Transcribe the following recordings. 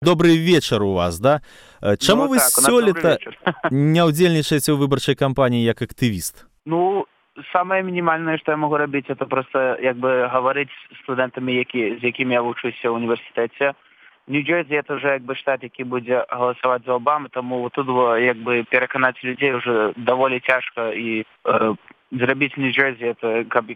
Добрый вечар у вас, да? Чаму вы сёлета не ўдзельнічаеце ў выбарчай кампаніі як актывіст? Ну, самое минимальное, что я могу робить, это просто говорить с студентами, з якими я вучуся в університеті. Нью-Джерсі это вже штат, який буде голосувати за Обаму, тому тут переконати людей вже доволі тяжко і зробити в Нью-Джерсі,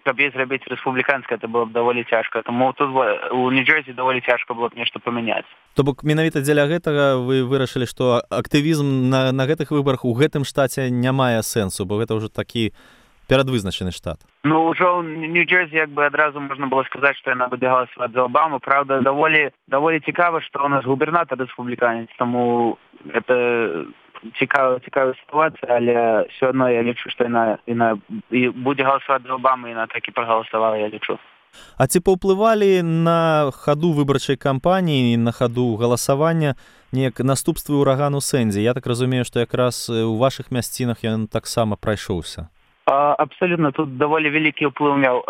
каб її зробити республіканське, це було б доволі тяжко. Тому тут у Нью-Джерсі доволі тяжко було б нешта памяняць. То бок менавіта дзеля гэтага вы вырашылі, што актывізм на гэтых выбарах у гэтым штаце не мае сэнсу, бо гэта ўжо такі перадвызначаны штат. Ну, уже в Нью-Джерсі одразу можна було сказати, що вона буде голосувати за Обаму. Правда, доволі цікаво, що у нас губернатор республіканець, тому це цікава ситуація, але все одно я лічу, що вона буде голосувати за Обаму, і вона так і проголосувала, я лічу. А ці паўплывалі на хаду выбарчай кампаніі, на хаду галасавання неяк наступствы ўрагану Сэнді? Я так разумею, што якраз у вашых мясцінах ён таксама прайшоўся. Абсолютно, тут доволі великий вплив мав.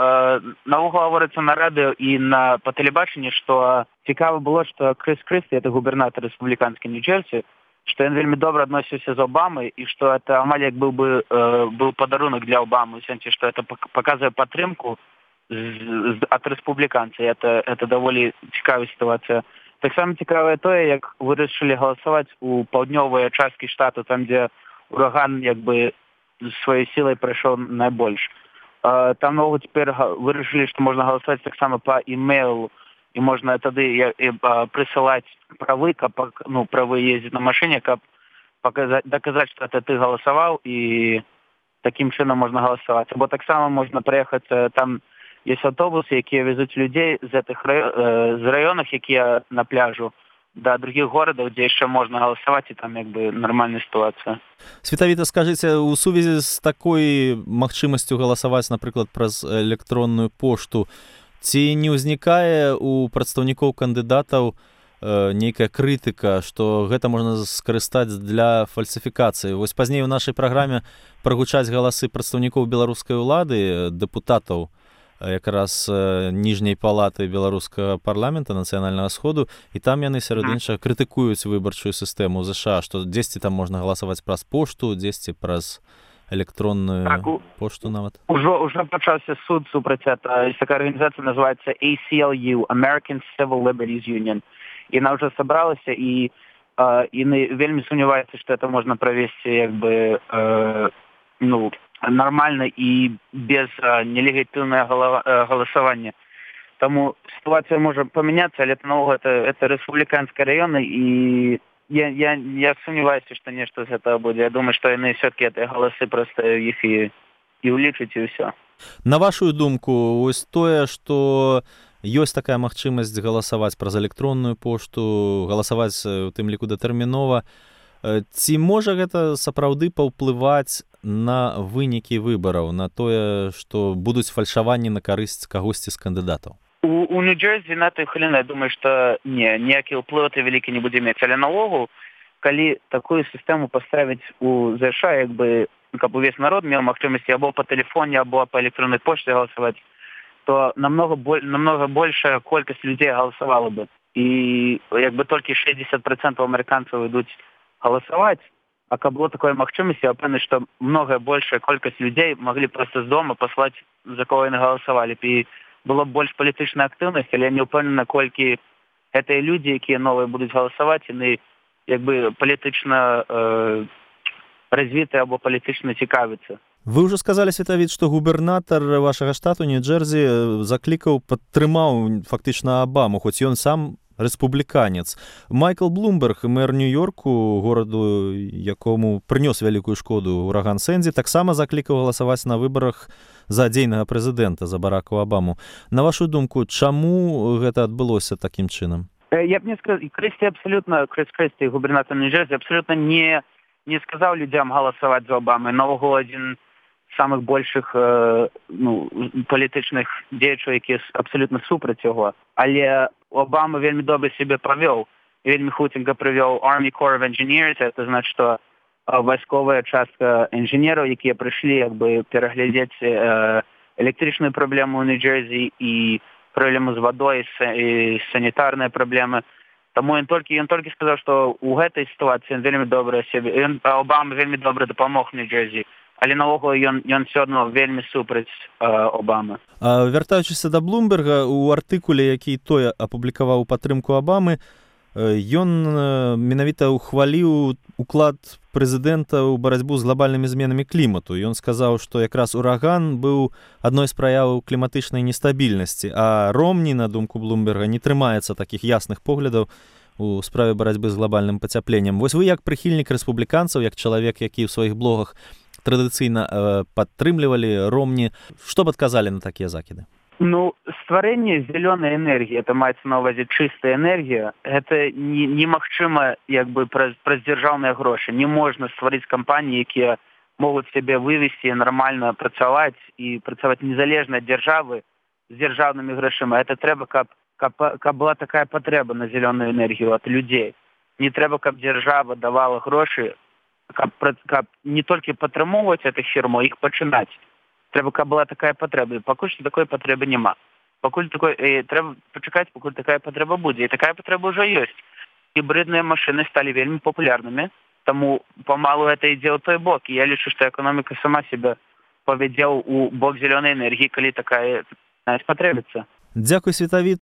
Наогул говориться на радио і по телебаченню, що цікаво було, що Крис Крісті, це губернатор республіканський Нью-Джерсі, що він вельми добре відносився з Обамою, і що це амаль як був подарунок для Обами, в сенсі, що це показує підтримку від республіканців. Це доволі цікава ситуація. Так само цікаве те, як вирішили голосувати у півдньовій частині штату, там, де ураган своей силой пройшов найбільше. Там нового тепер вирішили, що можна голосувати так само по імейлу, і можна тоді присилати прави їздити на машині, щоб доказати, що це ти голосував, і таким чином можна голосувати. Або так само можна приїхати, там є автобуси, які везуть людей з районів, які на пляжу, до других городов, где еще можно голосовать, и там нормальная ситуация. Светавіта, скажыце, у сувязі з такой магчымасцю галасаваць, напрыклад, праз электронную пошту, ці не ўзнікае у прадстаўнікоў кандыдатаў нейкая крытыка, што гэта можна скарыстаць для фальсіфікацыі? Вось пазней у нашай праграме прагучаць галасы прадстаўнікоў беларускай улады, дэпутатаў якраз ніжняй палаты беларускага парламента нацыянальнага сходу, і там яны сярод іншага крытыкуюць выбарчую сістэму ў ЗША, што дзесьці там можна галасаваць праз пошту, дзесьці праз электронную пошту нават. Уже пачаўся суд супраць этого. Есть такая организация, называется ACLU, American Civil Liberties Union. І вона вже собралася, і вельмі сумнівається, що це можна провести нормально и без нелегитимного голосования. Тому ситуация может поменяться, але это республиканский район, и я сомневаюсь, что нечто из этого будет. Я думаю, что они все-таки эти голосы просто их и улічаць, и все. На вашу думку, ось тое, што ёсць такая магчымасць галасаваць праз электронную пошту, галасаваць у тым ліку датэрмінова, ці можа гэта сапраўды паўплываць на вынікі выбараў, на тое, што будуць фальшаванні на карысць кагосьці з кандыдатаў? У Нью-Джерсі на той хвіліны, я думаю, што ніякі ўплыў ты вялікі не будзе мець. Але наогул, калі такую сістэму паставіць у ЗША, каб увесь народ меў магчымасці або па тэлефоне, або па электроннай пошце галасаваць, то намного большая колькасць людзей галасавала бы. І толькі 60% амерыканцаў ідуць галасаваць, а каб было такой магчымасці, я пэўны, што многая большая колькасць людзей маглі проста з дома паслаць, за кого яны галасавалі. І было б больш палітычнай актыўнасці, але я не ўпэўнены, колькі гэтыя людзі, якія новыя будуць галасаваць, яны палітычна развітыя або палітычна цікавяцца. Вы ўжо сказалі, Светавіт, што губернатар вашага штату Нью-Джерсі падтрымаў фактычна Обаму, хоць ён сам рэспубліканец. Майкл Блумберг, мэр Нью-Йорку, гораду, якому прынёс вялікую шкоду ураган Сэнді, таксама заклікаў галасаваць на выбарах за дзейнага прэзідэнта, за Барака Обаму. На вашу думку, чаму гэта адбылося такім чынам? Я б не сказал, Крис Крісті, губернатор Нью-Джерсі, абсолютно не сказаў людзям галасаваць за Обаму. Наогул адзін з самых большых палітычных дзеячаў, які абсолютно супраць яго. Але Обама вельмі добра себе правёў. Вельмі хутенька прывёў Army Corps of Engineers. Это значит, что вайсковая частка інженераў, якія прыйшлі пераглядзець электрычную праблему ў Нью-Джерсі і праблему з вадой, і санітарныя праблемы. Таму ён толькі сказаў, што ў гэтай сітуацыі ён вельмі добра сябе, Обама вельмі добра дапамог Нью-Джерсі, але наогул ён все адно вельмі супраць Обамы. Вяртаючыся да Блумберга, у артыкуле, які той апублікаваў у падтрымку Обамы, ён менавіта ухваліў уклад прэзідэнта ў барацьбу з глобальнымі зменамі клімату. Ён сказаў, што якраз ураган быў адной з праяў кліматычнай нестабільнасці, а Ромні, на думку Блумберга, не трымаецца такіх ясных поглядаў у справе барацьбы з глобальным пацяпленнем. Вось вы як прыхільнік рэспубліканцаў, як чалавек, які ў сваіх блогах традыцыйна падтрымлівалі Ромні, што б адказалі на такія закіды? Стварэнне зялёнай энергіі, это маецца на ўвазе чыстая энергія, гэта немагчыма праз дзяржаўныя грошы. Не можна стварыць кампаніі, якія могуць сябе вывесці і нармальна працаваць і працаваць незалежна ад дзяржавы з дзяржаўнымі грашыма. Это трэба, каб была такая патрэба на зялёную энергію ад людзей. Не трэба, каб дзяржава давала грошы, каб не толькі падтрымоўваць гэтых фірмаў, іх пачынаць. Трэба, каб была такая патрэба. Пакуль што такой патрэбы няма. Трэба пачакаць, пакуль такая патрэба будзе. І такая патрэба ўжо ёсць. Гібридныя машыны сталі вельмі папулярнымі, таму памалу гэта ідзе ў той бок. І я лічу, што эканоміка сама себе павядзе ў бок зялёнай энергіі, калі такая патрэбіцца. Дзякуй, Светавіт.